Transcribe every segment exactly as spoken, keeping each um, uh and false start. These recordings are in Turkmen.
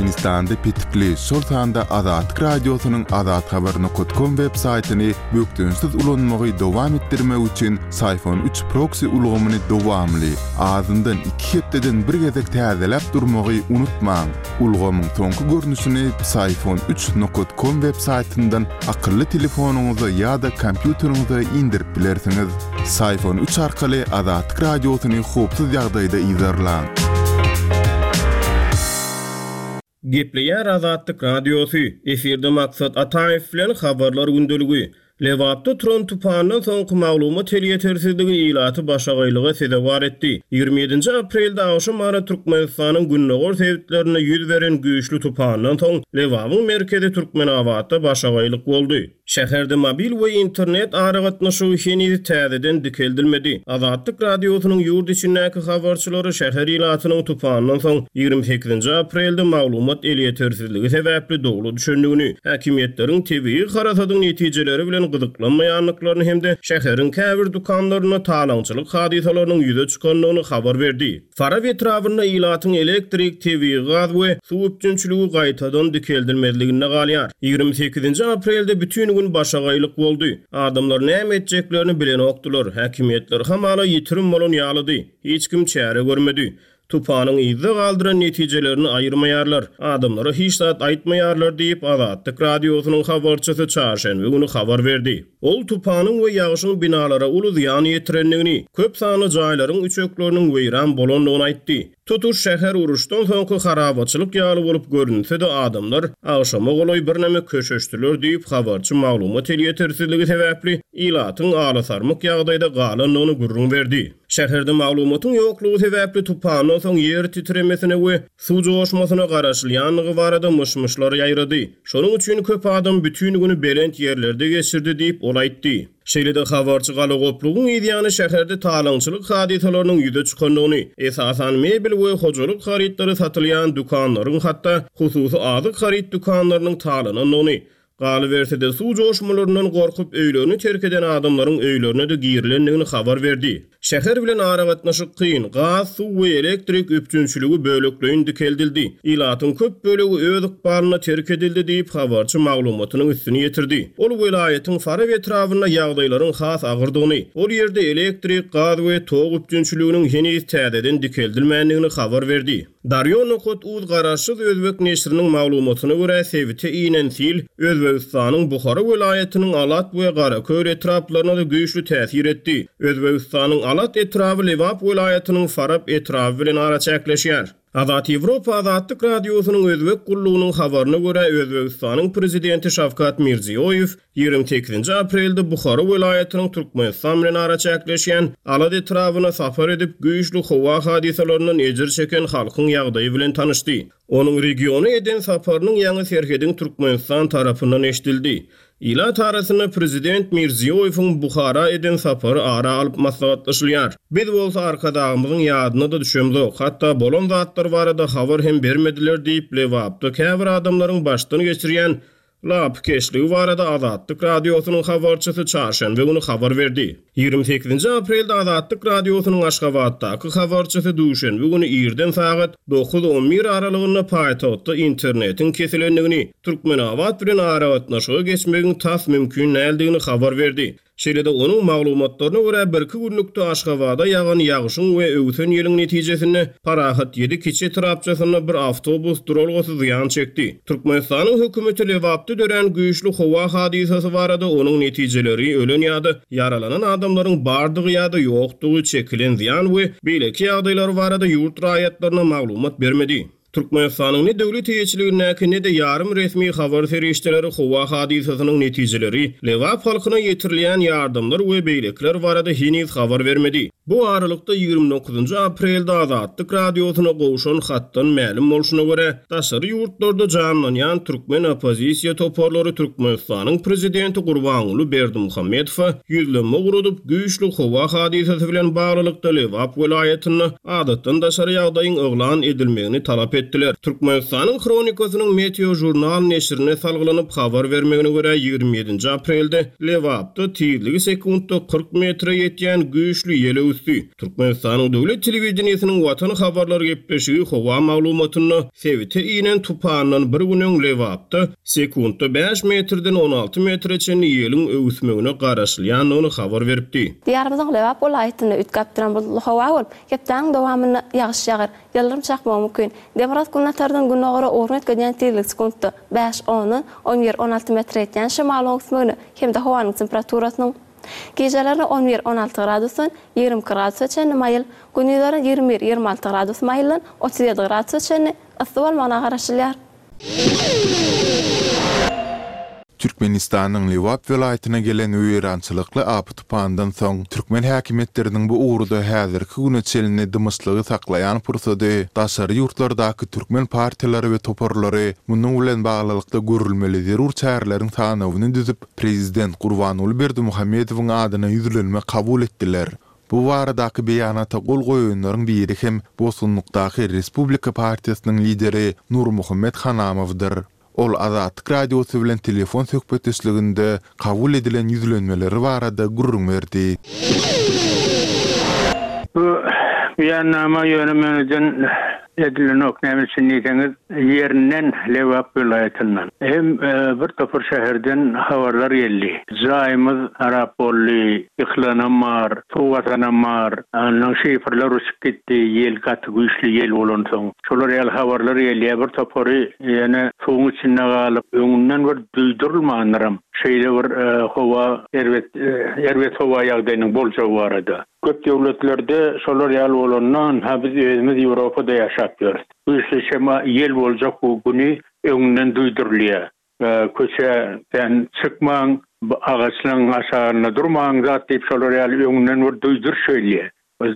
Türkmenistanda petikli, şol sanda Azatlyk Radiosynyň azathabar nokat kom web saýtyny bökdençsiz ulanmagy dowam etdirmek üçin Psiphon üç proksi ulgamyny dowamly, azyndan iki hepdeden bir gezek täzeläp durmagy unutmaň. Ulgamyň soňky görnüşini Psiphon üç nokat kom web saýtyndan akylly telefonyňyza ýa-da kompýuteriňize indirip bilersiňiz. Psiphon üç arkaly Azatlyk Radiosyny howpsuz ýagdaýda yzarlaň. Gepleýär Azatlyk Radiosy, efirde Maksat Ataýew bilen Habarlar gündeligi. Lebapda turan tupandan soňky maglumat elýetersizligi ilaty başagaýlyga sezewar etdi. Ýigrimi ýedinji aprelde agşam ara Türkmenistanyň gündogar sebitlerinde ýüz beren güýçli tupandan soň Lebabyň merkezi Türkmenabatda başagaýlyk boldy. Şäherde mobil we internet aragatnaşygy heniz täzeden dikeldilmedi. Azatlyk Radiosynyň ýurt içindäki habarçylary şäher ilatynyň tupandan soň ýigrimi sekizinji aprelde maglumat elýetersizligi sebäpli dowla düşendigini, häkimiýetleriň tebigy harasadyň netijeleri bilen gyzyklanmaýandyklaryny hem-de şäheriň käbir dükanlarynda talaňçylyk hadysalarynyň ýüze çykandygyny habar berdi. Farap etrabynda ilatyň elektrik, tebigy gaz we suw üpjünçiligi gaýtadan dikeldilmezliginde galýar. Ýigrimi sekizinji aprelde bütin gün başagaýlyk boldy. Adamlar näme etjeklerini bilenokdylar. Häkimiýetler hamala ýitirim bolan ýalydy. Hiç kim çäre görmedi. Tupanyň yzda galdyran netijelerini aýyrmaýarlar. Adamlara hiç zat aýtmaýarlar diýip, Azatlyk Radiosynyň habarçysy çarşenbe güni habar berdi. Ol tupanyň we ýagşyň binalara uly zyýan ýetirendigini, köp sanly jaýlaryň üçekleriniň weýran bolandygyny aýtdy. Tutuş şäher uruşdan soňky harabaçylyk ýaly bolup görünse-de, adamlar agşama golaý birneme köşeşdiler diýip, habarçy maglumat elýetersizligi sebäpli ilatyň alasarmyk ýagdaýda galandygyny gürrüň berdi. Şäherde maglumatyň ýoklugy sebäpli tupandan soň ýer titremesine we suw joşmasyna garaşylýandygy barada myş-myşlar ýaýrady. Şonuň üçin köp adam bütin güni belent ýerlerde geçirdi diýip, ol aýtdy. Şeýle-de habarçy galagoplugyň yzýany şäherde talaňçylyk hadysalarynyň ýüze çykandygyny, esasan mebel we hojalyk harytlary satylýan dükanlaryň hatda hususy azyk haryt dükanlarynyň talanandygyny, galyberse-de suw joşmalaryndan gorkup öýlerini terk eden adamlaryň öýlerine-de girilendigini habar berdi. Şäher bilen aragatnaşyk kyn, gaz, suw we elektrik üpjünçiligi bölekleýin dikeldildi. Ilatyň köp bölegi öz ykbalyna terk edildi diýip, habarçy maglumatynyň üstüni ýetirdi. Ol welaýatyň Farap etrabynda ýagdaýlaryň has agyrdygyny, ol ýerde elektrik, gaz we tok üpjünçiliginiň heniz täzeden dikeldilmändigini habar berdi. Daryo nokat uz garaşsyz özbek neşiriniň maglumatyna görä, sebite inen sil Özbegistanyň Buhara welaýatynyň Alat we Garaköl etraplaryna-da güýçli täsir etdi. Özbegistanyň Alat etraby Lebap welaýatynyň Farap etraby bilen araçäkleşýär. Azat Ýewropa Azatlyk Radiosynyň Özbek gullugynyň habaryna görä, Özbegistanyň Prezidenti Şawkat Mirziýoýew ýigrimi sekizinji aprelde Buhara welaýatynyň Türkmenistan bilen araçäkleşýän Alat etrabyna sapar edip, güýçli howa hadysalaryndan ejir çeken halkyň ýagdaýy bilen tanyşdy. Onuň regiona eden saparynyň ýaňy serhediň Türkmenistan tarapyndan eşidildi. Ilat arasynda Prezident Mirziýoýewiň Buhara eden sapary ara alyp maslahatlaşylýar. Biz bolsa Arkadagymyzyň ýadyna-da düşemzok, hatda bolan zatlar barada habar hem bermediler diýip, Lebapda käbir adamlaryň başdan geçirýän lapykeçligi barada Azatlyk Radiosynyň habarçysy çarşenbe güni habar berdi. Ýigrimi sekizinji aprelde Azatlyk Radiosynyň Aşgabatdaky habarçysy duşenbe güni irden sagat dokuz on bir aralygynda paýtagtda internetiň kesilendigini, Türkmenabat bilen aragatnaşyga geçmegiň tas mümkin däldigini habar berdi. Şeýle-de onuň maglumatlaryna görä, birki günlükde Aşgabada ýagan ýagşyň we öwsen ýeliň netijesinde Parahat ýedi kiçi etrapçasynda bir awtobus duralgasy zyýan çekdi. Türkmenistanyň hökümeti Lebapda dörän güýçli howa hadysasy barada onuň netijeleri, ölen ýa-da ýaralanan adamlaryň bardygy ýa-da ýokdugy, çekilen zyýan we beýleki ýagdaýlar barada ýurt raýatlaryna maglumat bermedi. Türkmenistanyň ne döwlet eýeçiligindäki, ne-de ýarym resmi habar serişdeleri howa hadysasynyň netijeleri, Lebap halkyna ýetirilýän ýardamlar we beýlekiler barada heniz habar bermedi. Bu aralykda ýigrimi dokuzynjy aprelde Azatlyk Radiosyna gowşan hatdan mälim bolşuna görä, daşary ýurtlarda janlanýan türkmen oppozisiýa toparlary Türkmenistanyň prezidenti Gurbanguly Berdimuhamedowa ýüzlenme ugradyp, güýçli howa hadysasy bilen baglylykda Lebap welaýatynda adatdan daşary ýagdaýyň yglan edilmegini talap etdiler. Türkmenistanyň Hronikasynyň Meteo Jurnal neşirine salgylanyp habar bermegine görä ýigrimi ýedinji aprelde Lebapda tizligi sekuntda kyrk metre ýetýän güýçli ýel öwüsdi. Türkmenistanyň döwlet telewideniýesiniň Watan habarlar gepleşigi howa maglumatynda sebite inen tupandan bir gün öň Lebapda sekuntda bäş metrden on alty metre çenli ýeliň öwüsmegine garaşylýandygyny habar beripdi. Diýarymyzyň Lebap welaýatynda üýtgäp duran bulutly howa bolup, hepdäniň dowamynda ýagyş ýagar, ýyldyrym çakmagy mümkin. Demirgazyk günbatardan gündogara ugruny üýtgedýän tizlik sekuntda bäş ondan on bir on alty metre ýetýän şemalyň öwüsmegine hem-de howanyň temperaturasynyň gijelerine on bir on alty gradusdan ýigrimi iki gradusa çenli maýyl, gündizlerine ýigrimi bir ýigrimi alty gradus maýyldan otuz ýedi gradusa çenli yssy bolmagyna garaşylýar. Türkmenistanyň Lebap welaýatyna gelen weýrançylykly apy tupandan soň türkmen häkimiýetleriniň bu ugurda häzirki güne çenli dymyşlygy saklaýan pursady daşary ýurtlardaky türkmen partiýalary we toparlary munuň bilen baglylykda görülmeli zerur çäreleriň sanawyny düzüp, prezident Gurbanguly Berdimuhamedowyň adyna ýüzlenme kabul etdiler. Bu baradaky beýanata gol goýanlaryň biri hem Bosgunlukdaky Respublika partiýasynyň lideri Nurmuhammet Hanamowdyr. Ol Azatlyk radiosy bilen telefon söhbetdeşliginde kabul edilen ýüzlenmeleri barada gürrüň berdi. Bu beýannama ýöne meneden edilenok, näme üçin diýseňiz, ýerinden Lebap welaýatyndan hem, e, bir topar şäherden habarlar geldi. Jaýymyz harap boldy, ýykylanam bar, suw basanam bar, andan şifrler uçup gitdi, ýel gaty güýçli ýel bolansoň. Şolar ýaly habarlar gelýär, bir topary ýene suwuň içinde galyp, öňünden bir duýdurylmandyram. Şeýle bir, e, howa erbet, e, erbet howa ýagdaýynyň boljagy barada. Köp döwletlerde şolar ýaly bolandan, ha biz özümiz Ýewropada ýaşap ýörüs. Güýçli şema ýel boljak bu güni öňünden duýdurylýar. E, köçeden çykmaň, agaçlaryň aşagynda durmaň zat diýip şolar ýaly öňünden bir duýduryş söýlýär.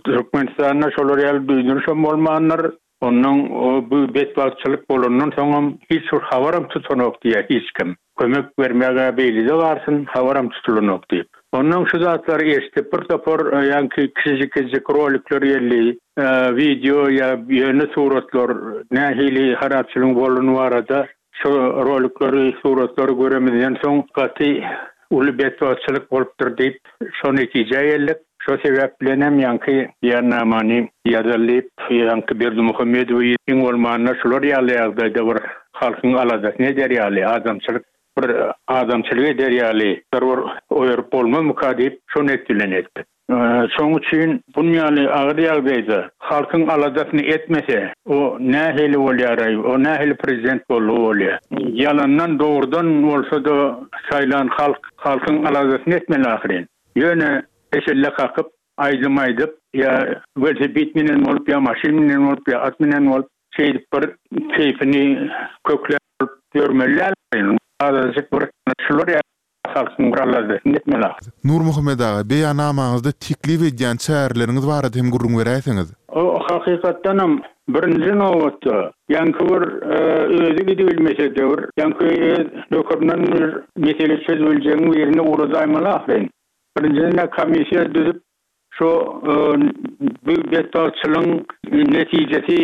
Türkmenistanda şolar ýaly duýduryş hem bolmandyr. Ondan o bu betbagtçylyk bolandan soňam hiç bir habaram tutanok diýýär hiç kim. Kömek bermäge beýlide barsyn, habaram tutulanok diýip. Ondan şu zatlary eşitip bir topar, e, ýaňky kiçijik-kiçijik rolikler geldi, e, video ýa ýöne suratlar nähili harapçylygyň bolany barada şu rolikleri, suratlary göremizden soň gaty uly betbagtçylyk bolupdyr diýip şo netijä geldik. Şo sebäp bilen hem ýaňky beýannamany ýazylyp, ýaňky Berdimuhamedowy iň bolmanda şular ýaly ýagdaýda bir halkyň aladasyny eder ýaly, adamçylyk bir adamçylyk eder ýaly bir oýaryp bolmazmyka diýip şo net bilen etdik. Ee, şoň üçin bun ýaly agyr ýagdaýda halkyň aladasyny etmese, o nähili bolýar, o nähili prezident boldy bolýar. Ýalandan dogrudan bolsa-da saýlan halk halkyň aladasyny etmeli ahyryn. Ýöne eşelle kakyp, aýdym aýdyp, ýa welosiped minen bolup, ýa maşyn minen bolup, ýa at minen bolup, şeýdip bir keýpini kökläp ýörmeli. Azajyk bir şular ýa halkyň bir aladasyny etmeli ahyryn. Nurmuhammet aga, beýannamaňyzda teklip edýän çäreleriňiz barada hem gürrüň beräýseňiz. O hakykatdanam birinji nobatda ýaňky bir, e, özi gidibilmese de bir, ýaňky öz nökerinden bir mesele çözüljegiň birini ugradaýmaly ahyryn. Birinjiden komissiýa düzüp şu, e, bu betbagtçylygyň netijesi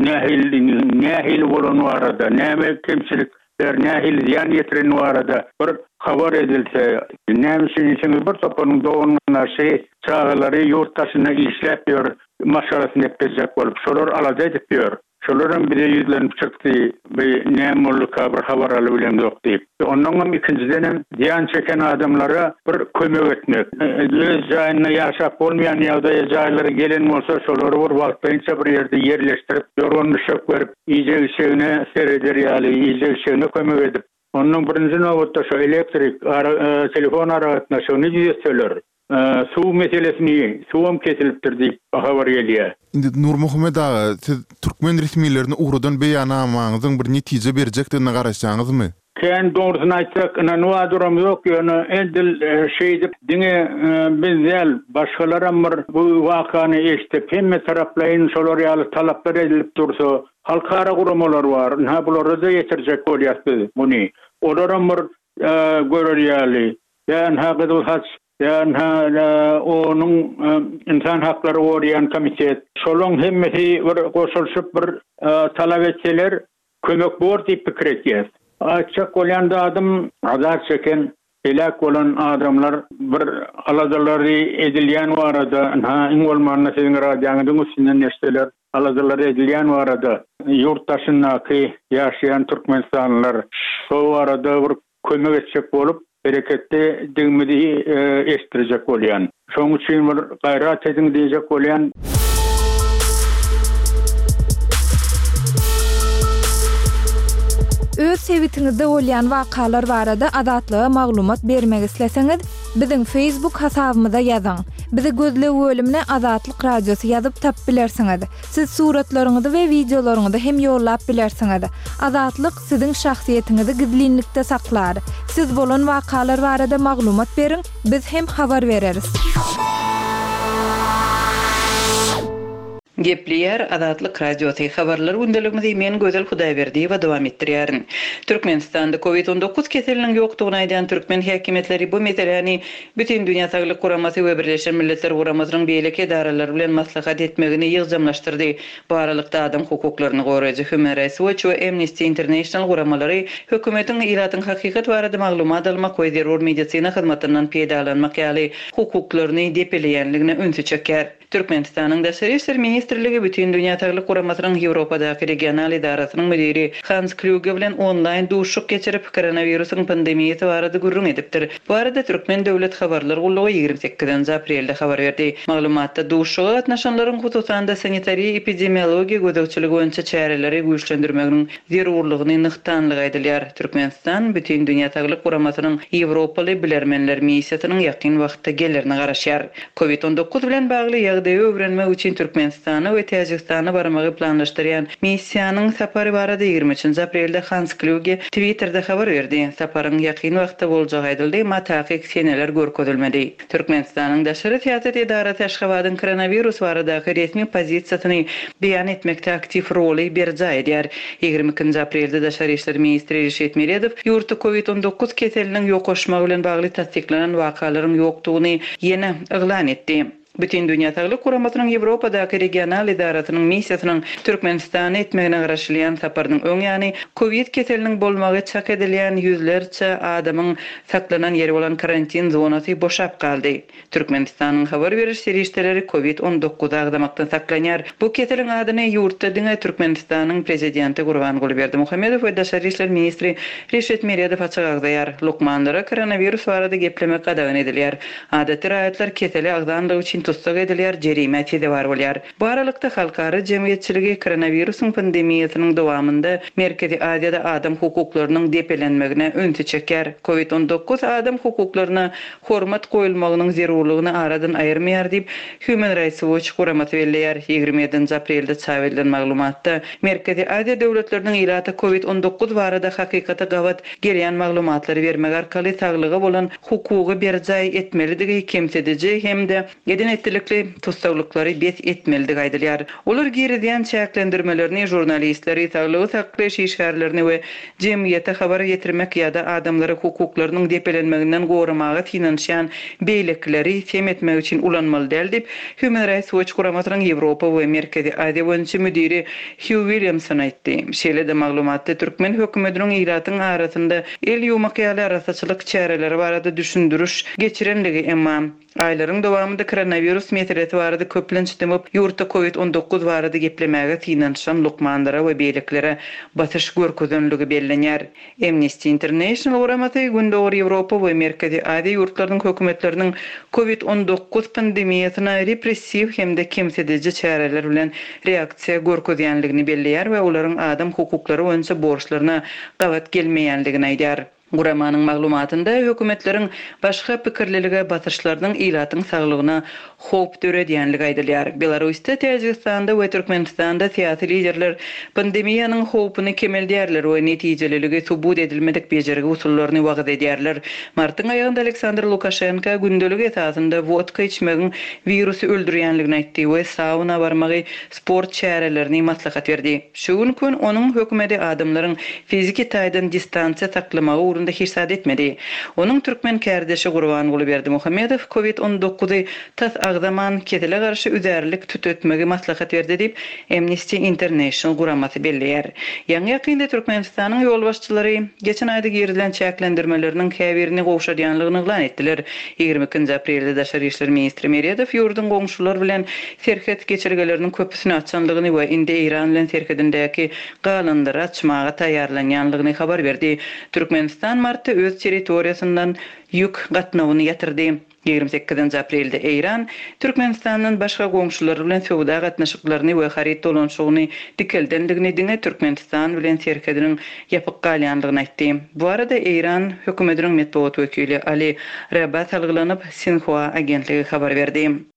nähili, nähili bolan barada, näme kemçilikler, nähili zyýan ýetiren barada bir habar edilse, näme üçin diýseňiz bir toparyň doganlaryny, çagalary ýurt daşynda işläp ýör, maşgalasyny eklenjek bolup, şolar alada edip ýör. Şolar hem bize ýüzlenip çykdy, bir näme bolduka bir habar alyp bilen ýok diýip. Ondan hem ikinjiden hem zyýan çeken adamlara bir kömek etmek. Öz jaýynda ýaşap bolmaýan ýagdaýa jaýlary gelen bolsa, şolary bir wagtlaýynça bir ýerde ýerleşdirip, ýorgan düşek berip, iýjek-içegine sereder ýaly, iýjek-içegine kömek edip. Ondan birinji nobatda şu elektrik, ara, e, telefon aragatnaşygyny düzetseler, e, suw meselesini, suwam kesilipdir diýip habar gelýär. Indi Nurmuhammet aga, siz türkmen resmilerini ugradan beýannamaňyzyň bir netije berjekdigine garaşýaňyzmy? Kän dogrusyny aýtsak, ynanywa duram ýok, ýöne edil, e, şeýdip diňe, e, biz däl, başgalaram bir bu wakany eşidip, hemme taraplaýyn şolar ýaly talaplar edilip dursa, halkara guramalar bar, ynha bulara da ýetirjek bolýas biz muny. Olaram bir, e, görer ýaly. Ýa ynha Gyzyl Haç Ýa onuň ynsan haklary goraýan komitet. Şolaryň hemmesi bir goşulyşyp bir talap etseler kömek bor diýip pikir etýär. Aýtjak bolýan zadym azar çeken heläk bolan adamlar bir aladalary edilýän barada, ha iň bolmanda siziň radioňyzyň üstünden eşitseler, aladalary edilýän barada ýurt daşyndaky ýaşaýan Türkmenistanlylar şo barada bir kömek etjek bolup hereketde digimizi eşitdirjek bolýan. Şonuň üçin bir gaýrat ediň diýjek bolýan. Öz sebitiňizde bolýan wakalar barada Azatlyga maglumat bermek isleseňiz, biziň Facebook hasabymyza ýazyň. Bizi gözleg bölümine Azatlyk Radiosy ýazyp tapyp bilersiňiz. Siz suratlaryňyzy we wideolaryňyzy hem ýollap bilersiňiz. Azatlyk siziň şahsyýetiňizi gizlinlikde saklar. Siz bolan wakalar barada maglumat beriň, biz hem habar bereris. Gepleýär Azatlyk Radiosy habarlar gündeligimizi men Gözel Hudaýberdiýewa dowam etdirýärin. Türkmenistanda COVID on dokuz keseliniň ýokdugyny aýdan türkmen häkimiýetleri bu meseläni Bütindünýä Saglyk Guramasy we Birleşen Milletler Guramasynyň beýleki edaralary bilen maslahat etmegini ýygjamlaşdyrdy. Bu aralykda adam hukuklaryny goraýjy Human Rights Watch we Amnesty International guramalary hökümetiň ilatyň hakykat barada maglumat almak we zerur medisina hyzmatyndan peýdalanmak ýaly hukuklaryny depeleýänligine ünsi çekýär. Türkmenistanyň Daşary İşler Ministrligi Bütindünýä Saglyk Guramasynyň Ýewropadaky regional edarasynyň müdiri Hans Kluge bilen onlaýn duşuşyk geçirip, koronawirusyň pandemiýasy barada gürrüň edipdir. Bu arada Türkmen Döwlet Habarlar Gullugy ýigrimi sekizinji aprelde habar berdi. Maglumatda duşuşyga gatnaşanlaryň hususan-da sanitariýa epidemiologiýa gözegçiligi boýunça çäreleri güýçlendirmeginiň zerurlygyny nygtanlygy aýdylýar. Türkmenistan Bütindünýä Saglyk Guramasynyň Ýewropaly bilermenler missiýasynyň ýakyn wagtda gelerine garaşýar. COVID on dokuz bilen bagly ýagdaýy öwrenmek üçin Türkmenistana we Täjigistana barmagy planlaşdyrýan missiýanyň sapary barada ýigrimi üçünji aprelde Hans Kluge Twitterde habar berdi. Saparyň ýakyn wagtda boljagy aýdyldy, emma takyk seneler görkezilmedi. Türkmenistanyň Daşary Syýasat edarasy Aşgabadyň koronawirus baradaky resmi pozisiýasyny beýan etmekde aktiw roly berjaý edýär. Ýigrimi ikinji aprelde Daşary İşler ministri Reşit Meredow ýurtda COVID on dokuz keseliniň ýokaşmagy bilen bagly tassyklanan wakalaryň ýokdugyny ýene yglan etdi. Bütindünýä Saglyk Guramasynyň Ýewropadaky regional edarasynyň missiýasynyň Türkmenistana etmegine garaşylýan saparynyň öň ýany COVID keseliniň bolmagy çak edilýän ýüzlerçe adamyň saklanan ýeri bolan karantin zonasy boşap galdy. Türkmenistanyň habar beriş serişdeleri COVID on dokuz agzamakdan saklanýar. Bu keseliň adyny ýurtda diňe Türkmenistanyň prezidenti Gurbanguly Berdimuhamedow we Daşary İşler ministri Reşit Meredow açyk agzaýar. Lukmanlara koronawirus barada geplemek gadagan edilýär. Adaty raýatlar keseli agzanlygy üçin tussag edilýär, jerime sezewar bolýar. Bu aralykda halkara jemgyýetçiligi koronawirusyň pandemiýasynyň dowamynda Merkezi Aziýada adam hukuklarynyň depelenmegine ünsi çekýär. COVID on dokuz adam hukuklaryna hormat goýulmagynyň zerurlygyny aradan aýyrmaýar diýip Human Rights Watch guramasy belleýär. Ýigrimi ýedinji aprelde çap edilen maglumatda Merkezi Aziýa döwletleriniň ilaty COVID on dokuz barada hakykata gabat gelýän maglumatlary bermek arkaly saglyga bolan hukugy berjaý etmelidigi kemsidiji hem-de eden etdilikli tussaglyklary bes etmelidigi aýdylýar. Olar girizýän çäklendirmelerini jurnalistleri, saglygy saklaýyş işgärlerini we jemgyýete habar ýetirmek ýa-da adamlary hukuklarynyň depelenmeginden goramaga synanyşýan beýlekileri sem etmek üçin ulanmaly däl diýip Human Rights Watch guramasynyň Ýewropa we Merkezi Aziýa boýunça müdiri Hugh Williamson aýtdy. Şeýle-de maglumatda türkmen hökümetiniň ilatyň arasynda el ýuwmak ýaly arasaçylyk çäreleri barada düşündiriş geçirenligi, emma aýlaryň dowamynda koronawirus meselesi barada köplenç demip, ýurtda COVID on dokuz barada geplemäge synanyşan lukmanlara we beýlekilere basyş görkezenligi bellenýär. Amnesty International guramasy Gündogar Ýewropa we Merkezi Aziýa ýurtlarynyň hökümetleriniň COVID on dokuz pandemiýasyna repressiw hem-de kemsidiji çäreler bilen reaksiýa görkezýänligini belleýär we olaryň adam hukuklary boýunça borçlaryna gabat gelmeýänligini aýdýar. Guramanyň maglumatynda hökümetleriň başga pikirlilige basyşlarynyň ilatyň saglygyna howp döredýänligi aýdylýar. Belarusda, Täjigistanda we Türkmenistanda syýasy liderler pandemiýanyň howpuny kemeldýärler we netijeliligi subut edilmedik bejergi usullaryny wagyz edýärler. Martyň aýagynda Aleksandr Lukaşenko gündelik esasynda wodka içmegiň wirusy öldürýänligini aýtdy we sauna barmagy sport çärelerini maslahat berdi. Şu gün gün onuň hökümeti adamlaryň fiziki taýdan distansiýa saklamagy ugrunda ugrunda hiç zat etmedi. Onuň türkmen kärdeşi Gurbanguly Berdimuhamedow Covid on dokuzy tas agzaman kesele garşy üzärlik tütetmegi maslahat berdi diýip, Amnesty International guramasy belleýär. Ýaňy-ýakynda Türkmenistanyň ýolbaşçylary geçen aýda girizilen çäklendirmeleriniň käbirini gowşadýanlygyny yglan etdiler. Ýigrimi ikinji aprelde Daşary işler ministri Meredow ýurduň goňşulary bilen serhet geçelgeleriniň köpüsini açanlygyny we indi Eýran bilen serhedindäki galanlary açmaga taýýarlanýanlygyny habar berdi. Türkmenistan martda öz territoriýasyndan ýük gatnawyny ýatyrdy. Ýigrimi sekizinji aprelde Eýran Türkmenistandan başga goňşulary bilen söwda gatnaşyklaryny we haryt dolanşygyny dikeldendigini diňe Türkmenistan bilen serhediniň ýapyk galýanlygyny aýtdy. Bu arada Eýran hökümetiniň metbugat wekili Ali Raba salgylanyp Sinhua agentligi habar berdi.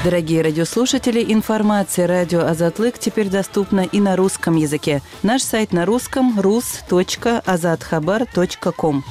Дорогие радиослушатели, информация радио Азатлык теперь доступна и на русском языке. Наш сайт на русском рус точка азатхабар точка ком.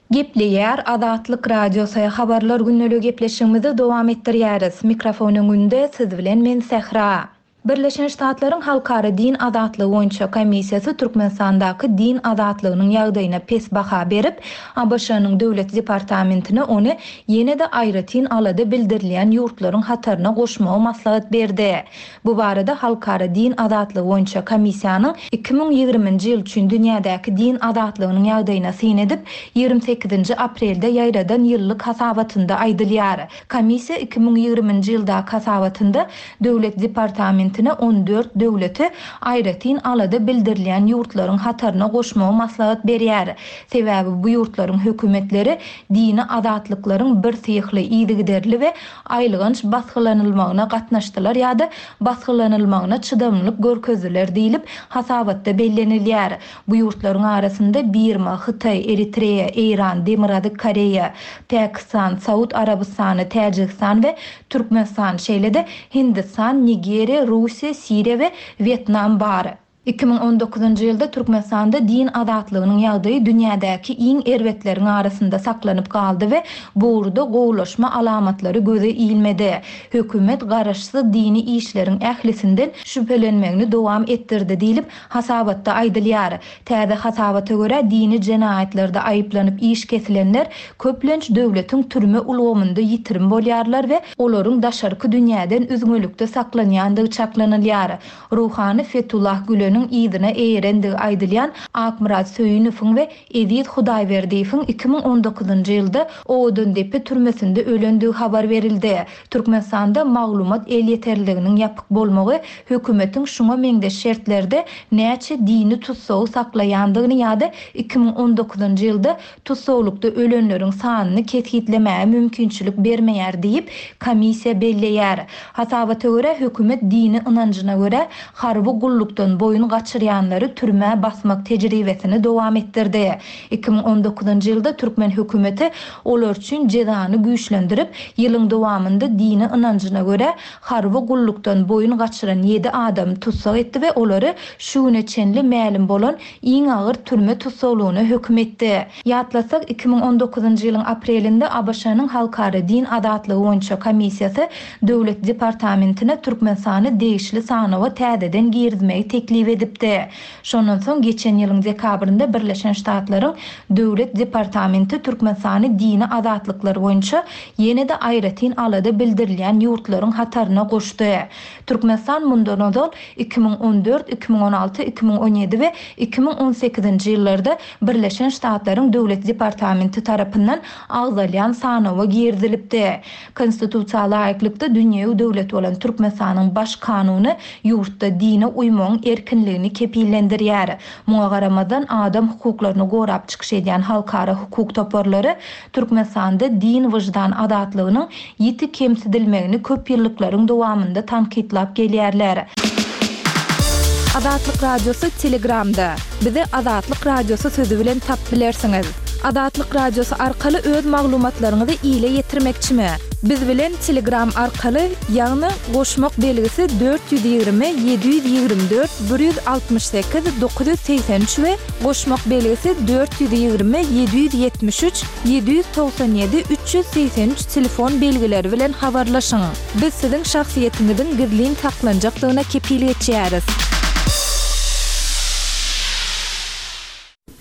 Gepleýär Azatlyk Radiosy habarlar günlügi gepleşigimizi dowam etdirýäris. Mikrofon öňünde siz bilen men Sähra. Birleşen Ştatlaryň Halkara Din Azatlygy boýunça komissiýasy Türkmenistandaky din azatlygynyň ýagdaýyna pes baha berip, A B Ş-nyň Döwlet departamentine ony ýene-de aýratyn alada bildirilýän ýurtlaryň hataryna goşmagy maslahat berdi. Bu barada Halkara Din Azatlygy boýunça komissiýanyň iki müň ýigriminji ýyl üçin dünýädäki din azatlygynyň ýagdaýyna syn edip, ýigrimi sekizinji aprelde ýaýradan ýyllyk hasabatynda aýdylýar. Komissiýa iki müň ýigriminji ýyldaky hasabatynda Döwlet departamentine on dört döwleti aýratyn alada bildirilýän ýurtlaryň hataryna goşmagy maslahat berýär. Sebäbi bu ýurtlaryň hökümetleri dini azatlyklaryň bir syýhly yzygiderli we aýylganç basgylanylmagyna gatnaşdylar ýa-da basgylanylmagyna çydamlylyk görkezdiler diýilip hasabatda bellenilýär. Bu ýurtlaryň arasynda Birma, Hytaý, Eritreýa, Eýran, Demirgazyk Koreýa, Pakistan, Saud Arabystany, Täjigistan we Türkmenistan, şeýle-de Hindistan, Nigeriýa, Russiýa, Siriýa we Wýetnam bar. Iki müň on dokuzynjy ýylda Türkmenistanda din azatlygynyň ýagdaýy dünýädäki iň erbetleriň arasynda saklanyp galdy we bu ugurda gowulaşma alamatlary göze ilmedi. Hökümet garaşsyz dini işleriň ählisinden şübhelenmegini dowam etdirdi diýilip hasabatda aýdylýar. Täze hasabata görä dini jenaýatlarda aýyplanyp iş kesilenler köplenç döwletiň türme ulgamynda ýitirim bolýarlar we olaryň daşarky dünýäden üzňelikde saklanýandygy çaklanylýar. Ruhany Fethullah Güleniň yzyna eýerendigi aýdylýan Akmyrat Söýünowyň we Eziz Hudaýberdiýewiň iki müň on dokuzynjy ýylda Owadandepe türmesinde ölendigi habar berildi. Türkmenistanda maglumat elýeterliliginiň ýapyk bolmagy hökümetiň şuňa meňzeş şertlerde näçe dini tutsagy saklaýandygyny ýa-da iki müň on dokuzynjy ýylda tutsaglykda ölenleriň sanyny kesgitlemäge mümkinçilik bermeýär diýip komissiýa belleýär. Hasabata görä hökümet dini ynanjyna görä harby gullukdan boýun gaçyrýanlary türmä basmak tejribesini dowam etdirdi. Iki müň on dokuzynjy ýylda türkmen hökümeti olar üçin jezany güýçlendirip, ýylyň dowamynda dini ynanjyna görä harby gullukdan boýun gaçyran ýedi adam tussag etdi we olary şu güne çenli mälim bolan iň agyr türme tussaglygyna höküm etdi. Ýatlasak, iki müň on dokuzynjy ýylyň aprelinde A B Ş-nyň Halkara Din Azatlygy boýunça komissiýasy Döwlet departamentine Türkmenistany degişli sanawa täzeden girizmegi teklip edipdi. Şondan soň geçen ýylyň dekabrynda Birleşen Ştatlaryň Döwlet departamenti Türkmenistany dini azatlyklar boýunça ýene-de aýratyn alada bildirilýän ýurtlaryň hataryna goşdy. Türkmenistan mundan ozal iki müň on dört, iki müň on alty, iki müň on ýedi we iki müň on sekizinji ýyllarda Birleşen Ştatlaryň Döwlet departamenti tarapyndan agzalýan sanawa girizilipdi. Konstitusiýa laýyklykda dünýewi döwlet bolan Türkmenistanyň baş kanuny ýurtda dine uýmagyň erkinligini kepillendirýär. Muňa garamazdan adam hukuklaryny gorap çykyş edýän halkara hukuk toparlary Türkmenistanda din wyždan azatlygynyň ýiti kemsidilmegini köp ýyllyklaryň dowamynda tankytlap gelýärler. Azatlyk Radiosy Telegramda. Bizi Azatlyk Radiosy sözi bilen tap bilersiňiz. Azatlyk Radiosy arkaly öz maglumatlaryňyzy ile ýetirmekçimi? Biz bilen Telegram arkaly, ýagny goşmak belgisi dört ýüz ýigrimi ýedi ýüz ýigrimi dört bir ýüz altmyş sekiz dokuz ýüz segsen üç we goşmak belgisi dört ýüz ýigrimi ýedi ýüz ýetmiş üç ýedi ýüz togsan ýedi üç ýüz segsen üç telefon belgileri bilen habarlaşyň. Biz siziň şahsyýetiňiziň gizlin saklanjakdygyna kepil geçýäris.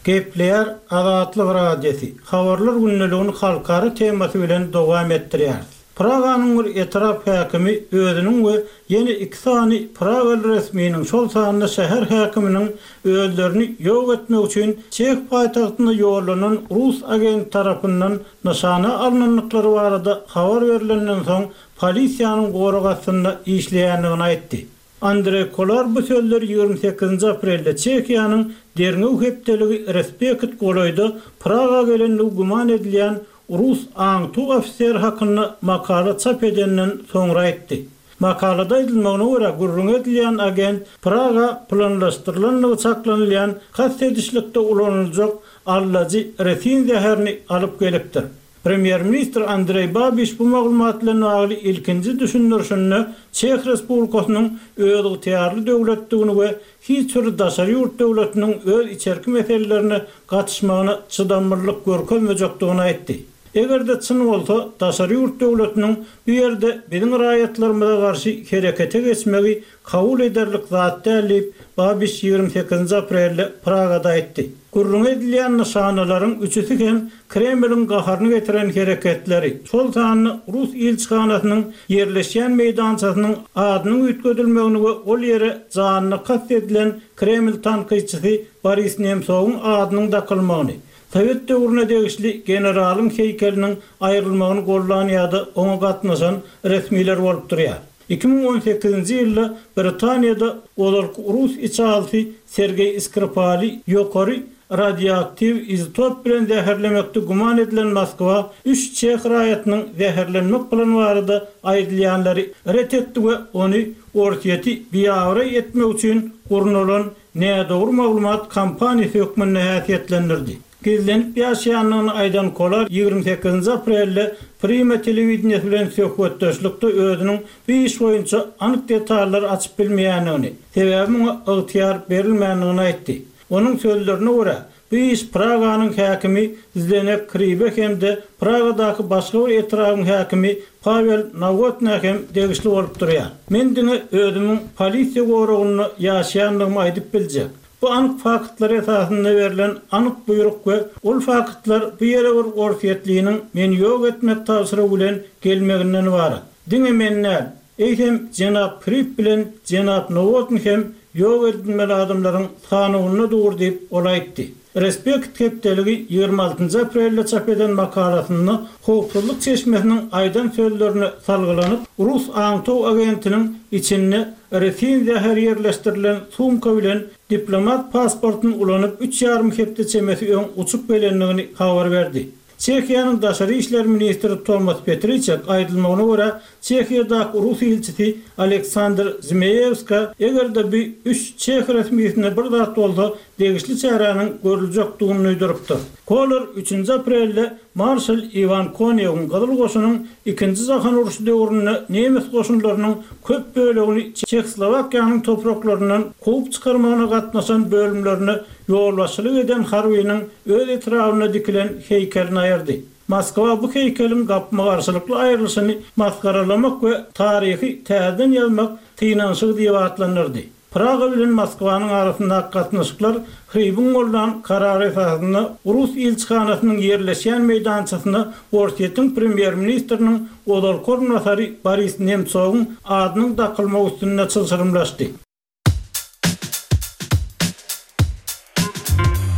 Gepleýär Azatlyk Radiosy, Habarlar gündeligini halkara temasy bilen dowam etdirýäris. Praganyň bir etrap häkimi özüniň we ýene iki sany pragaly resminiň, şol sanda şäher häkiminiň özlerini ýok etmek üçin çeh paýtagtyna ýollanan rus agenti tarapyndan nyşana alnandyklary barada habar berlenden soň polisiýanyň gorag astynda işleýändigini aýtdy. Andreý Kolar bu sözleri ýigrimi sekizinji aprelde Çehiýanyň derňew hepdeligi Respekt golaýda Praga gelendigi güman edilýän rus aňtuw ofiseri hakynda makala çap edenden soňra aýtdy. Makalada aýdylmagyna görä, gürrüň edilýän agent Praga planlaşdyrylandygy çaklanylýan kast edişlikde ulanyljak allajy resin zäherini alyp gelipdir. Premýer-ministr Andreý Babiş bu maglumat bilen bagly ilkinji düşündirişinde Çeh Respublikasynyň özygtyýarly döwletdigini we hiç bir daşary ýurt döwletiniň öz içerki meselelerine gatyşmagyna çydamlylyk görkezmejekdigini aýtdy. Eger-de çyn bolsa, daşary ýurt döwletiniň bu ýerde biziň raýatlarymyza garşy herekete geçmegi kabul ederlik zat däl diýip, Babiş ýigrimi sekizinji aprelde Pragada aýtdy. Gürrüň edilýän nyşanalaryň üçüsi hem Kremliň gaharyny getiren hereketleri, şol sanda rus ilçihanasynyň ýerleşýän meýdançasynyň adynyň üýtgedilmegini we ol ýere janyna kast edilen Kreml tankytçysy Boris Nemsowyň adynyň dakylmagyny, Sowet döwrüne degişli generalyň heýkeliniň aýrylmagyny gollan ýa-da oňa gatnaşan resmiler bolup durýar. Iki müň on sekizinji ýylda Britaniýada ozalky rus içalysy Sergeý Skripali ýokary radioaktiw izotop bilen zäherlemekde güman edilen Moskwa üç çeh raýatynyň zäherlenmek plany barada aýdylýanlary ret etdi we ony Orsýeti biabraý etmek üçin gurnalan nädogry maglumat kampaniýasy hökmünde häsiýetlendirdi. Gizlenip ýaşaýandygyny aýdan Kolar ýigrimi sekizinji aprelde Prima telewideniýesi bilen söhbetdeşlikde özüniň bu iş boýunça anyk detallary açyp bilmeýändigini, sebäbi muňa ygtyýar berilmändigini aýtdy. Onuň sözlerine görä, bu iş Praganyň häkimi Zdenek Hribe hem-de Pragadaky başga bir etrabyň häkimi Pawel Nowotna hem degişli bolup durýar. Men diňe özümiň polisiýa goragynda ýaşaýandygymy aýdyp biljek. Bu anyk faktlar esasynda berlen anyk buýruk we ol faktlar bu ýere bir orsýetliniň meni ýok etmek tabşyrygy bilen gelmeginden ybarat. Diňe men däl, eýsem jenap Hrib bilen jenap Nowotny hem ýok edilmeli adamlaryň sanawynda dur diýip ol aýtdy. Respekt hepdeligi ýigrimi altynjy aprelde çap eden makalasynda howpsuzlyk çeşmesiniň aýdan sözlerine salgylanyp, rus aňtuw agentiniň içinde resin zäher ýerleşdirilen sumka bilen diplomat pasportyny ulanyp üç ýarym hepde çemesi öň uçup gelendigini habar berdi. Çehiýanyň daşary işler ministri Tomas Petriçek aýdylmagyna görä, Çehiýadaky rus ilçisi Aleksandr Zmeýewska eger-de bu üç çeh resmisine bir zat bolsa, degişli çäräniň görüljekdigini duýdurypdyr. Kolar üçünji aprelde Marşal Iwan Konýewiň Gyzyl goşunyň ikinji jahan urşy döwründe nemes goşunlarynyň köp bölegini Çehoslowakiýanyň topraklaryndan kowup çykarmagyna gatnaşan bölümlerine ýolbaşçylyk eden harbynyň öz etrabynda dikilen heýkelini aýyrdy. Moskwa bu heýkeliň gapma-garşylykly aýrylyşyny masgaralamak we taryhy täzeden ýazmak synanyşygy diýip atlandyrdy. Praga bilen Moskwanyň arasyndaky gatnaşyklar Hribiň gollan karary esasynda rus ilçihanasynyň ýerleşýän meýdançasyna Orsýetiň premýer-ministriniň ozalky orunbasary Boris Nemsowyň adynyň dakylmagy üstünde çylşyrymlaşdy.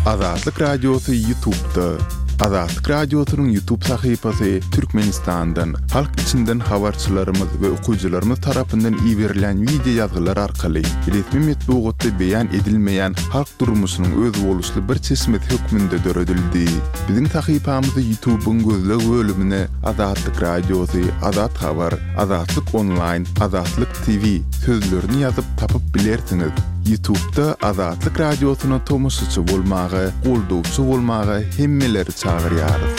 Azatlyk Radiosy YouTube'da. Azatlyk Radiosynyň YouTube sahypasy Türkmenistandan, halk içinden habarçylarymyz we okyjylarymyz tarapyndan iberilen video ýazgylar arkaly resmi metbugatda beýan edilmeýän halk durmuşynyň özboluşly bir çeşmesi hökmünde döredildi. Biziň sahypamyzy YouTube'yň gözleg bölümine Azatlyk Radiosy, Azat Habar, Azatlyk Online, Azatlyk T V sözlerini ýazyp tapyp bilersiňiz. Ýutubda Azatlyk Radiosyna tomaşaçy bolmaga, goldawçy bolmaga hemmeleri çagyrýarys.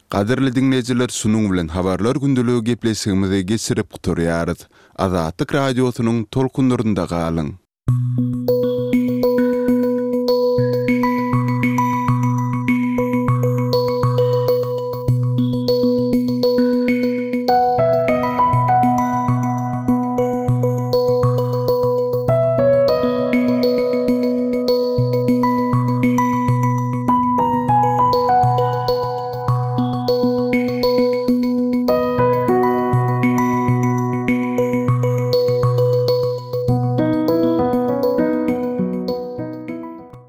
Gadyrly diňleýjiler şunuň bilen Habarlar gündeligi gepleşigimizi geçirip gutarýarys. Azatlyk Radiosynyň tolkunlarynda galyň!